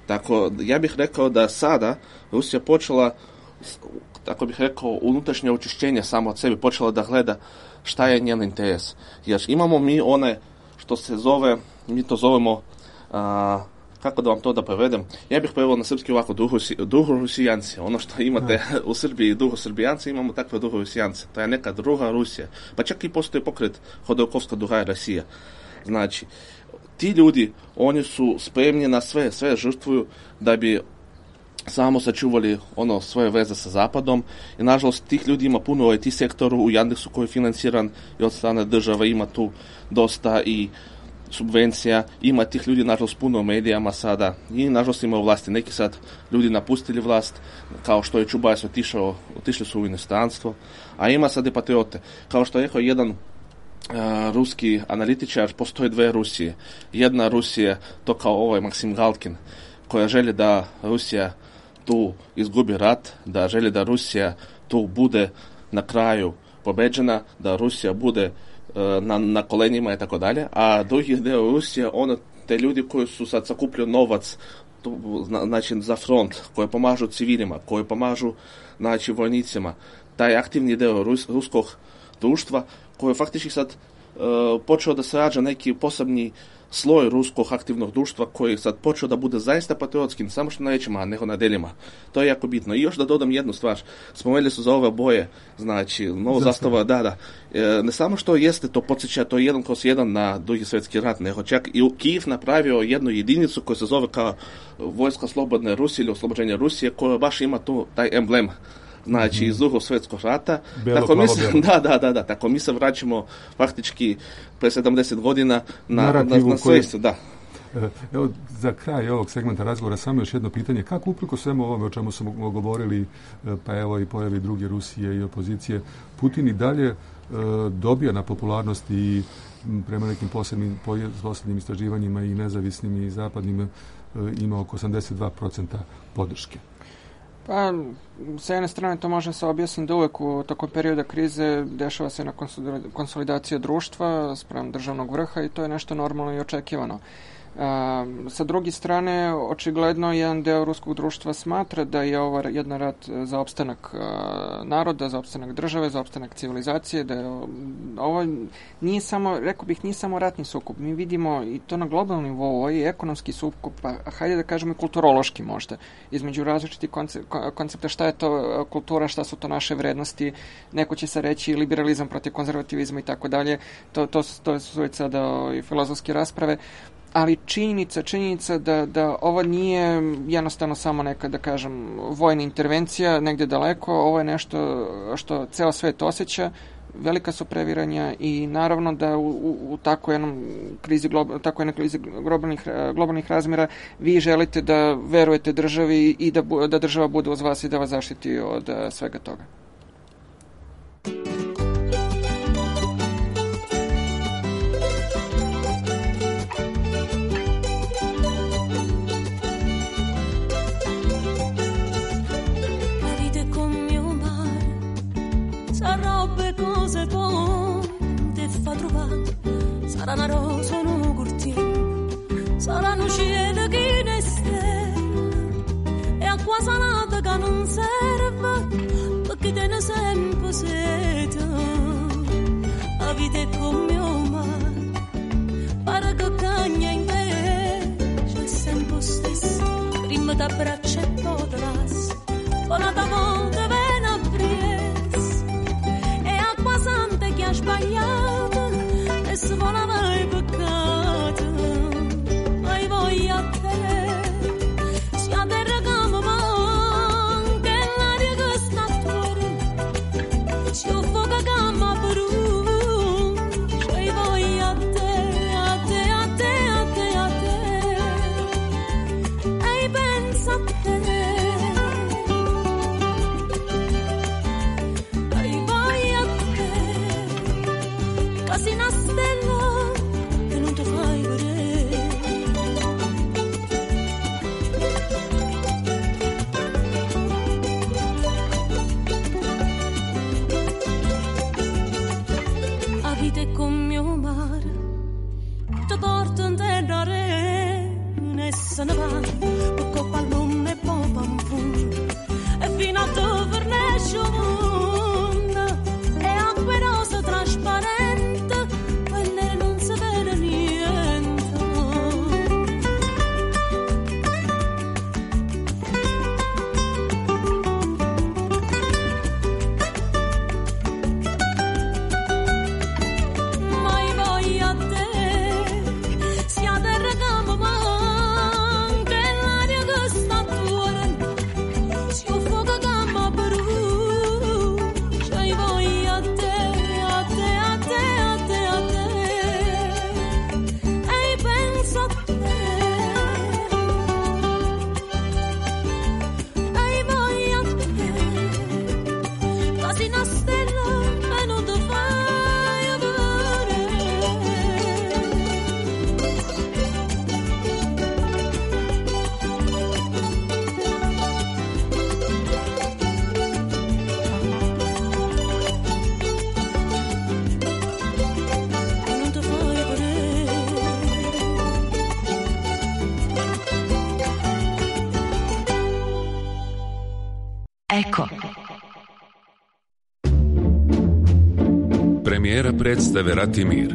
Tako, ja bih rekao da sada Rusija počela, tako bih rekao, unutrašnje očišćenje samo od sebe, počela da gleda šta je njen interes. Jer imamo mi one što se zove, mi to zovemo, kako da vam to da prevedem? Ja bih preveo na srpski ovako duhorusijanci. Ono što imate u Srbiji duhosrbijanci, imamo takve duhorusijanci. To je neka druga Rusija. Pa čak i postoji pokret Hodorkovska druga Rusija. Znači, ti ljudi, oni su spremni na sve žrtvuju da bi samo sačuvali svoje veze sa Zapadom i nažalost tih ljudi ima puno u IT sektoru, u Yandexu koji je financiran i od strane države, ima tu dosta i subvencija, ima tih ljudi nažalost puno u medijama sada i nažalost ima u vlasti. Neki sad ljudi napustili vlast, kao što je Čubajs otišli su u inostranstvo, a ima sad i patriote. Kao što je rekao jedan ruski analitičar, postoje dve Rusije. Jedna Rusija, to kao Maksim Galkin, koja želi da Rusija tu izgubi rat, da želi da Rusija tu bude na kraju pobeđena, da Rusija bude na kolenjima i tako dalje, a drugi deo Rusije, te ljudi koji su sad sakupljaju novac znači za front, koji pomažu civilima, koji pomažu znači vojnicima, taj aktivni deo ruskog društva koji faktički sad počeo da se rađa neki posebni sloj ruskog aktivnog društva koji sad počeo da bude zaista patriotskim, samo što na rečima, nego na delima. To je jako bitno. I još da dodam jednu stvar. Spomenuli su za ove boje, znači, novo zastava, da. Ne samo što jeste to podsjeća, to je 1/1 na Drugi svjetski rat, nego čak i Kijev napravio jednu jedinicu koja se zove kao Vojska slobodne Rusije ili oslobođenje Rusije, koja baš ima tu taj emblem. Znači, iz Drugog svjetskog rata. Tako mi se vraćamo faktički pre 70 godina na svijest, da. Evo, za kraj ovog segmenta razgovora samo još jedno pitanje. Kako uprkos svemu ovome o čemu smo govorili, pa evo i pojavi druge Rusije i opozicije, Putin i dalje dobija na popularnosti i prema nekim posljednjim istraživanjima i nezavisnim i zapadnim ima oko 82% podrške. Pa, sa jedne strane to može se objasniti da uvek tokom perioda krize dešava se na konsolidacija društva spram državnog vrha i to je nešto normalno i očekivano. Sa druge strane, očigledno jedan deo ruskog društva smatra da je ovo jedan rat za opstanak naroda, za opstanak države, za opstanak civilizacije, da je ovo nije samo, rekao bih, nije samo ratni sukob. Mi vidimo i to na globalnom nivou, ovo je ekonomski sukob, pa hajde da kažemo i kulturološki možda, između različitih koncepta šta je to kultura, šta su to naše vrednosti, neko će se reći liberalizam protiv konzervativizma i tako dalje, to su već sada i filozofske rasprave. Ali činjenica da ovo nije jednostavno samo neka, da kažem, vojna intervencija negdje daleko, ovo je nešto što ceo svet osjeća, velika su previranja i naravno da u takvoj jednoj krizi globalnih razmjera vi želite da verujete državi i da država bude uz vas i da vas zaštiti od svega toga. Sarà una rosa, un cortile, sarà un cielo che ne stella e acqua salata che non serve perché te ne sempre sete. La vita è come un mare, pare che cagna in invece è sempre stesso. Prima da braccia e poi da lasso, poi una volta viene a presa e acqua santa che ha sbagliato. Se volava il peccato, mai voglia a te, sia terra che mi manca, e l'aria che sta fuori, sia il fuoco che mi brucia, e voglia a te, a te, a te, a te, a te, e pensa a te. Quasi una stella che non ti fai vedere. La vita è come un mare, ti porta in terra e se ne va, per coppa al mondo e poi pam pum, e fino a dove riesce un mondo, e acque rose trasparenti. Eko. Premijera predstave Ratimir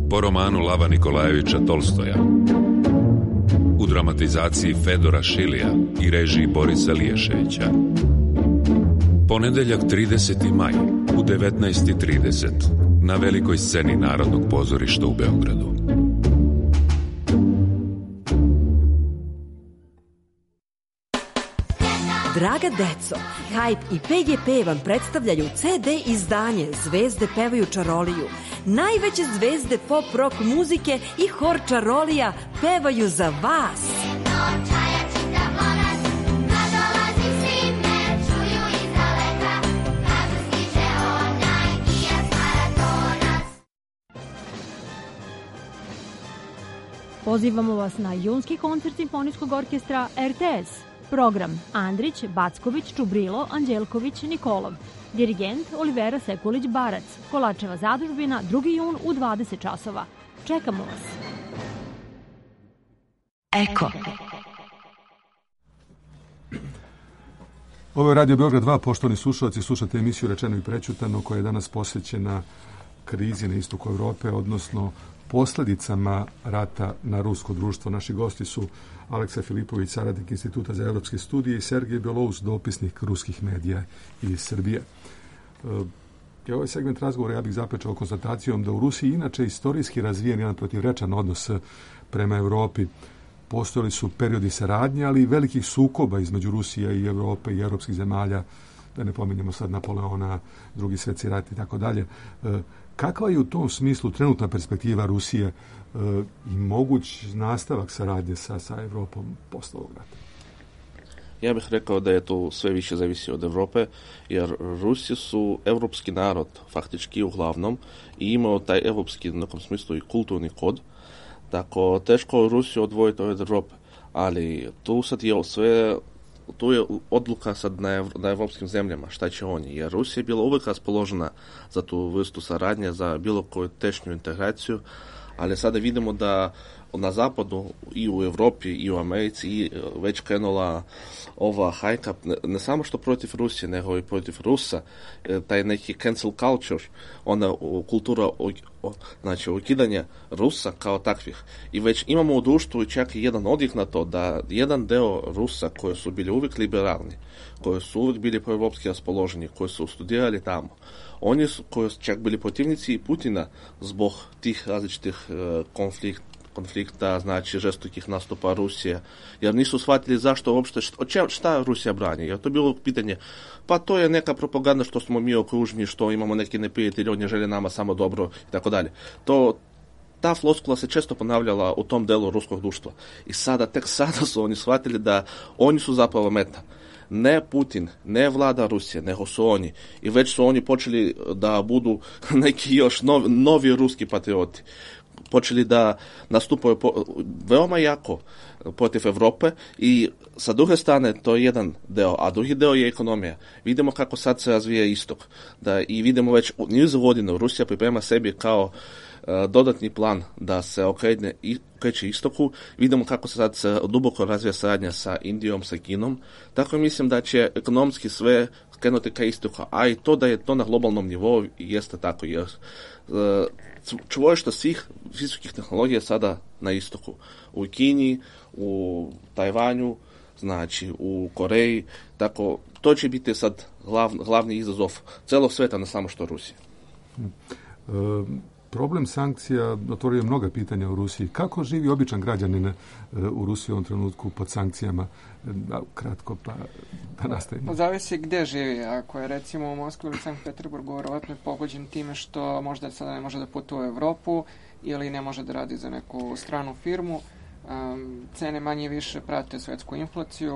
po romanu Lava Nikolajevića Tolstoja u dramatizaciji Fedora Šilija i režiji Borisa Liješevića. Ponedeljak 30. maj u 19:30 na velikoj sceni Narodnog pozorišta u Beogradu. Draga deco, Hype i PGP vam predstavljaju CD izdanje Zvezde pevaju čaroliju. Najveće zvezde pop rock muzike i hor čarolija pevaju za vas. Pozivamo vas na junski koncert Simfonijskog orkestra RTS Program: Andrić, Backović, Čubrilo, Anđelković, Nikolov. Dirigent: Olivera Sekulić-Barac. Kolačeva zadužbina, 2. jun u 20 časova. Čekamo vas. Eko. Ovo je Radio Beograd 2, poštovani slušalci, slušate emisiju Rečeno i prećutano koja je danas posvećena krizi na istoku Evrope, odnosno posljedicama rata na rusko društvo. Naši gosti su Aleksa Filipović, saradnik Instituta za evropske studije, i Sergej Belous, dopisnik ruskih medija iz Srbije. Ovaj segment razgovora ja bih zapečao konstatacijom da u Rusiji inače istorijski razvijen jedan protivrečan odnos prema Evropi. Postojali su periodi saradnje, ali i velikih sukoba između Rusije i Evrope i evropskih zemalja, da ne pominjemo sad Napoleona, Drugi svjetski rat i tako dalje. Kakva je u tom smislu trenutna perspektiva Rusije i moguć nastavak saradnje sa Evropom posle ovog rata? Ja bih rekao da je to sve više zavisi od Evrope, jer Rusi su evropski narod, faktički uglavnom, i imao taj evropski, u nekom smislu, i kulturni kod. Tako, teško Rusiju odvojiti od Evrope, ali tu sad je sve, tu je odluka sad na evropskim zemljama, šta će oni, jer Rusija je bila uvijek raspoložena za tu vrstu saradnje, za bilo koju tešnju integraciju, ali sada vidimo da na zapadu i u Evropi i u Americi i već krenula ova hajka, ne samo što protiv Rusije, nego i protiv Rusa, taj neki cancel culture, ona kultura znači ukidanja Rusa kao takvih. I već imamo u društvu čak i jedan odjek na to da jedan deo Rusa koji su bili uvijek liberalni, koji su uvijek bili proevropski raspoloženi, koji su studirali tamo, oni su koji su čak bili protivnici i Putina zbog tih različitih konflikta, znači žestokih nastupa Rusije, jer nisu shvatili zašto uopšte, šta Rusija brani, jer to je bilo pitanje, pa to je neka propaganda što smo mi okruženi, što imamo neki neprijatelji, oni žele nama samo dobro i tako dalje. Ta floskula se često ponavljala u tom delu ruskog društva i tek sada su oni shvatili da oni su zapravo meta. Ne Putin, ne vlada Rusije, nego su oni. I već su oni počeli da budu neki još novi ruski patrioti. Počeli da nastupaju veoma jako protiv Evrope i sa druge strane to je jedan deo, a drugi deo je ekonomija. Vidimo kako sad se razvija istok. I vidimo već niz godina Rusija priprema sebi kao dodatni plan da se okreće istoku. Vidimo kako se sad duboko razvija saradnja sa Indijom, sa Kinom. Tako mislim da će ekonomski sve krenuti ka istoku, a i to da je to na globalnom nivou jeste tako, jer čvorište svih visokih tehnologija sada na istoku. U Kini, u Tajvanju, znači u Koreji, tako to će biti sad glavni izazov celog sveta, ne samo što Rusije. Problem sankcija otvorio mnoga pitanja u Rusiji. Kako živi običan građanin u Rusiji u ovom trenutku pod sankcijama? Kratko, pa da nastavimo. Zavisi gdje živi. Ako je recimo u Moskvi ili Sankt Peterburgu, vjerovatno je pogođen time što možda sada ne može da putuje u Evropu ili ne može da radi za neku stranu firmu. Cene manje više prate svjetsku inflaciju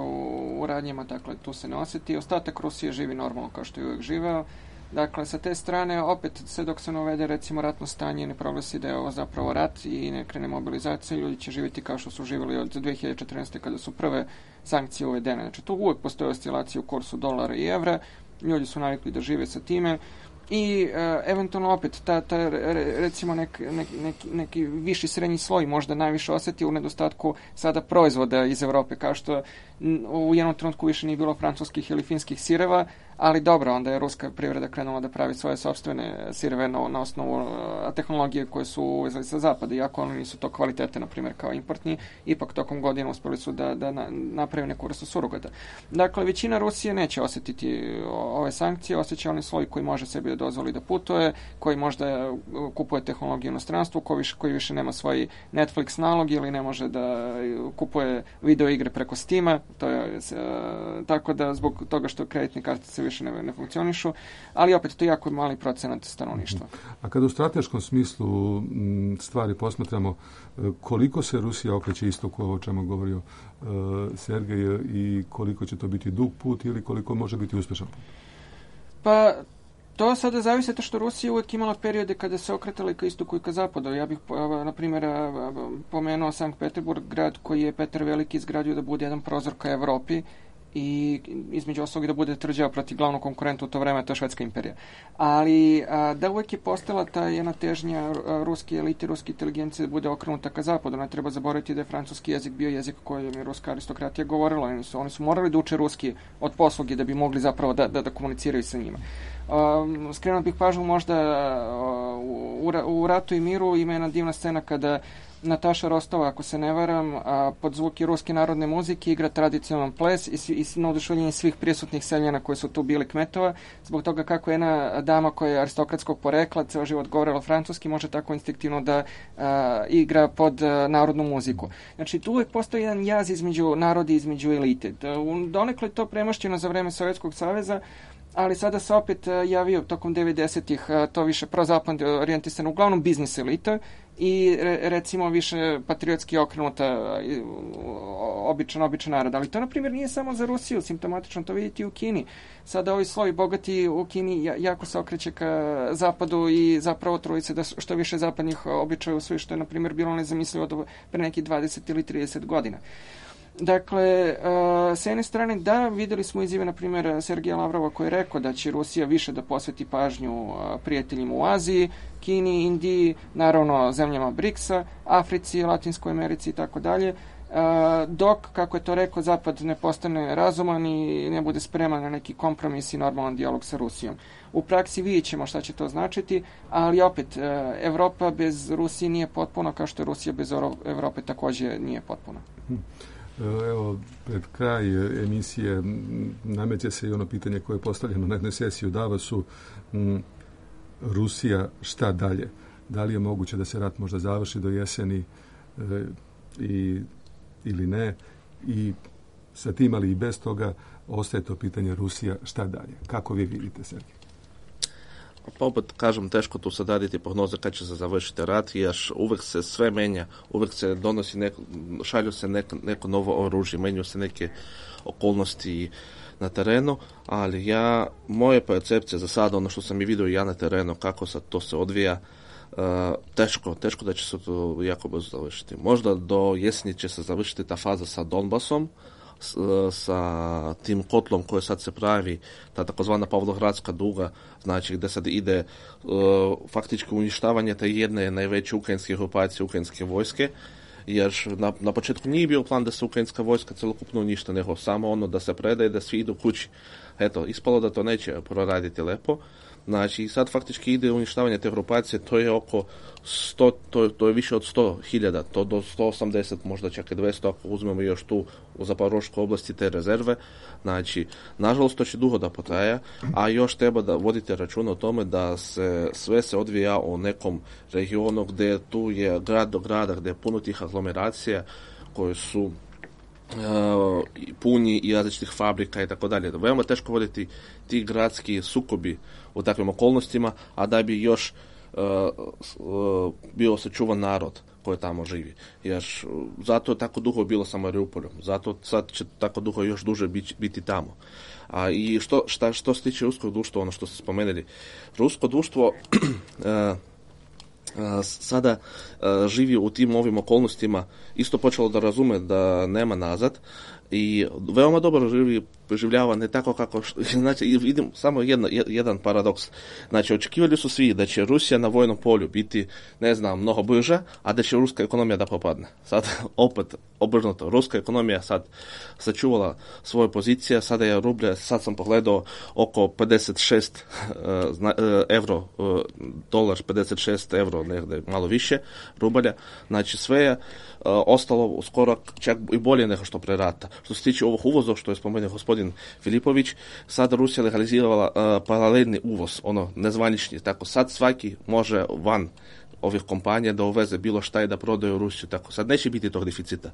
u radnjima, dakle tu se ne osjeti. Ostatak Rusije živi normalno kao što je uvijek živeo. Dakle, sa te strane, opet, sve dok se ne uvede, recimo, ratno stanje, ne proglasi da je ovo zapravo rat i ne krene mobilizacija, ljudi će živjeti kao što su živjeli od 2014. kada su prve sankcije uvedene. Znači, tu uvijek postoje oscilacije u kursu dolara i evra, ljudi su navikli da žive sa time i eventualno opet, recimo, neki viši srednji sloj možda najviše osjeti u nedostatku sada proizvoda iz Evrope, kao što u jednom trenutku više nije bilo francuskih ili finskih sireva, ali dobro, onda je ruska privreda krenula da pravi svoje sopstvene sireve na osnovu tehnologije koje su uvezali sa zapada, iako oni nisu to kvalitete, na primjer, kao importni, ipak tokom godina uspjeli su da napravi neku vrstu surogata. Dakle, većina Rusije neće osjetiti ove sankcije, osjeća onaj sloj koji može sebi da dozvoli da putuje, koji možda kupuje tehnologiju u inostranstvu, koji više nema svoj Netflix nalog ili ne može da kupuje video igre preko Steama, to je tako da zbog toga što kreditne kartice više ne funkcionišu, ali opet to je jako mali procenat stanovništva. A kada u strateškom smislu stvari posmatramo, koliko se Rusija okreće istoku, ovo o čemu govorio Sergej, i koliko će to biti dug put ili koliko može biti uspješan put? Pa to sada zavisi to što Rusija uvijek imala periode kada se okretala i ka istoku i ka zapadu. Ja bih, na primjer, pomenuo Sankt Peterburg, grad koji je Petar Veliki izgradio da bude jedan prozor ka Evropi i između ostalog da bude tvrđava protiv glavnog konkurenta u to vreme, to je Švedska imperija. Ali da uvijek je postala ta jedna težnja ruske elite, ruske inteligencije da bude okrenuta ka zapadu. Ne treba zaboraviti da je francuski jezik bio jezik kojem je ruska aristokratija govorila. Oni su morali da uče ruski od posluge da bi mogli zapravo da komuniciraju sa njima. Skrenuo bih pažnju možda u Ratu i miru ima jedna divna scena kada Nataša Rostova, ako se ne varam, pod zvuke ruske narodne muzike igra tradicionalan ples i na oduševljenje svih prisutnih seljana koji su tu bili kmetova, zbog toga kako jedna dama koja je aristokratskog porekla, ceo život govorila francuski, može tako instinktivno da igra pod narodnu muziku. Znači, tu uvijek postoji jedan jaz između narodi, između elite. Donekle to premašćeno za vreme Sovjetskog saveza, ali sada se opet javio tokom 90-ih to više prozapadno orijentisano, uglavnom biznis elita i recimo više patriotski okrenuta običan narod. Ali to, na primjer, nije samo za Rusiju simptomatično, to vidite i u Kini. Sada ovi slovi bogati u Kini jako se okreće ka zapadu i zapravo truji se da što više zapadnih običaja usvoji, što je, na primjer, bilo nezamislivo do pre nekih 20 ili 30 godina. Dakle, s jedne strane, da, videli smo izjave, na primjer, Sergeja Lavrova koji je rekao da će Rusija više da posveti pažnju prijateljima u Aziji, Kini, Indiji, naravno zemljama BRICS-a, Africi, Latinskoj Americi i tako dalje, dok, kako je to rekao, Zapad ne postane razuman i ne bude spreman na neki kompromis i normalan dijalog sa Rusijom. U praksi vidjet ćemo šta će to značiti, ali opet, Evropa bez Rusije nije potpuna, kao što je Rusija bez Evrope također nije potpuna. Evo, pred kraj emisije nameće se i ono pitanje koje je postavljeno na jednoj sesiji u Davosu. Rusija, šta dalje? Da li je moguće da se rat možda završi do jeseni ili ne? I sa tim, ali i bez toga, ostaje to pitanje Rusija, šta dalje? Kako vi vidite, Sergej? Pa opet kažem, teško tu sad raditi prognoze kad će se završiti rat, jer uvijek se sve menja, uvijek se donosi šalju se neko novo oružje, menjaju se neke okolnosti na terenu, ali moje percepcije za sada, ono što sam i vidio ja na terenu, kako sad to se odvija, teško da će se to jako brzo završiti. Možda do jeseni će se završiti ta faza sa Donbasom, sa tim kotlom koji sad se pravi, ta takozvana Pavlogradska duga, znači gdje sad ide faktički uništavanje te jedne najveće ukrajinske grupacije, ukrajinske vojske, jer na početku nije bio plan da se ukrajinska vojska celokupno uništa, nego samo ono da se predaje, da svi idu kući. Eto, ispalo da to neće proraditi lepo. Znači, sad faktički ide uništavanje te grupacije, to je oko 100, to je više od 100.000, to do 180, možda čak i 200, ako uzmemo još tu u Zaporoškoj oblasti te rezerve. Znači, nažalost, to će dugo da potraja, a još treba da vodite računa o tome da sve se odvija u nekom regionu gdje tu je grad do grada, gdje je puno tih aglomeracija koje su puni i različitih fabrika i tako dalje. Veoma teško voditi ti gradski sukobi u takvim okolnostima, a da bi još bio sačuvan narod koji tamo živi. Jer zato je tako dugo bilo sa Mariupoljem, zato sad će tako dugo još duže biti tamo. I što se tiče ruskog društva, ono što ste spomenuli, rusko društvo sada živi u tim ovim okolnostima, isto počelo da razume da nema nazad i veoma dobro preživljava, ne tako kako, znači vidim samo jedan paradoks. Znači, očekivali su svi da će Rusija na vojnom polju biti, ne znam, mnogo brža, a da će ruska ekonomija da propadne. Sad opet obrnuto, ruska ekonomija sad sačuvala svoje pozicije, sada je rublje, sad sam pogledao, oko 56 euro, dolar 56 euro, negdje malo više rubalja, znači sve je ostalo skoro čak i bolje nego što pre rata. Što se tiče ovog uvoza, što je spomenuo gospodin Filipović, sada Rusija legalizirala paralelni uvoz, ono nezvanični, tako sad svaki može van ovih kompanija da uveze bilo šta i da prodaju Rusiju, tako sad neće biti tog deficita.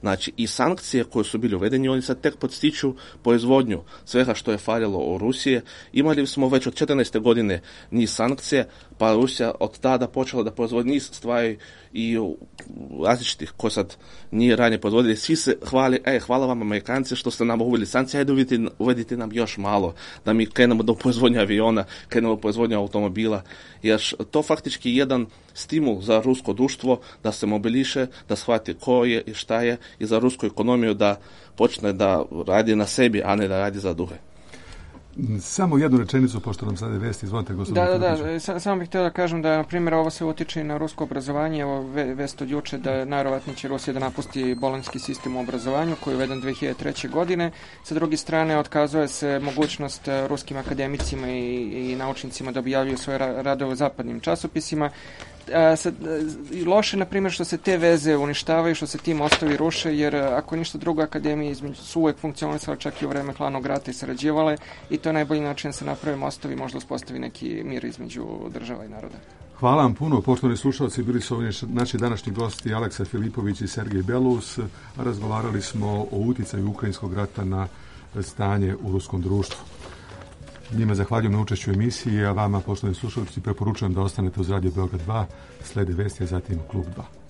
Znači, i sankcije koje su bili uvedeni, oni sad tek podstiču proizvodnju svega što je faljalo u Rusije. Imali smo već od 14. godine niz sankcije, pa Rusija od tada počela da proizvodi niz stvari i različitih koje sad nije ranije proizvodili. Svi se hvali, hvala vam Amerikanci što ste nam uveli sankcije, ajde uvedite nam još malo, da mi krenemo do proizvodnje aviona, krenemo do proizvodnje automobila, jer to faktički je jedan stimul za rusko društvo da se mobiliše, da shvati ko je i šta je, i za rusku ekonomiju da počne da radi na sebi, a ne da radi za druge. Samo jednu rečenicu, pošto nam sad je vest, izvolite gospodine. Da, samo bih htio da kažem da, na primjer, ovo se utiče i na rusko obrazovanje. Evo vest od juče da najverovatnije će Rusija da napusti bolonjski sistem u obrazovanju koji je uveden 2003. godine. Sa druge strane, otkazuje se mogućnost ruskim akademicima i naučnicima da objavljuju svoje radove u zapadnim časopisima. Loše, na primjer, što se te veze uništavaju, što se ti mostovi ruše, jer ako ništa drugo, akademije su uvek funkcionisale čak i u vreme hladnog rata i sarađivale, i to je najbolji način da se naprave mostovi, možda uspostavi neki mir između država i naroda. Hvala vam puno, poštovani slušalci, bili su ovdje naši današnji gosti Aleksa Filipović i Sergej Belus. Razgovarali smo o uticaju ukrajinskog rata na stanje u ruskom društvu. Njima zahvaljujem na učešću u emisiji, a vama, poštovani slušalci, preporučujem da ostanete uz Radio Beograd 2, slede vesti, a zatim Klub 2.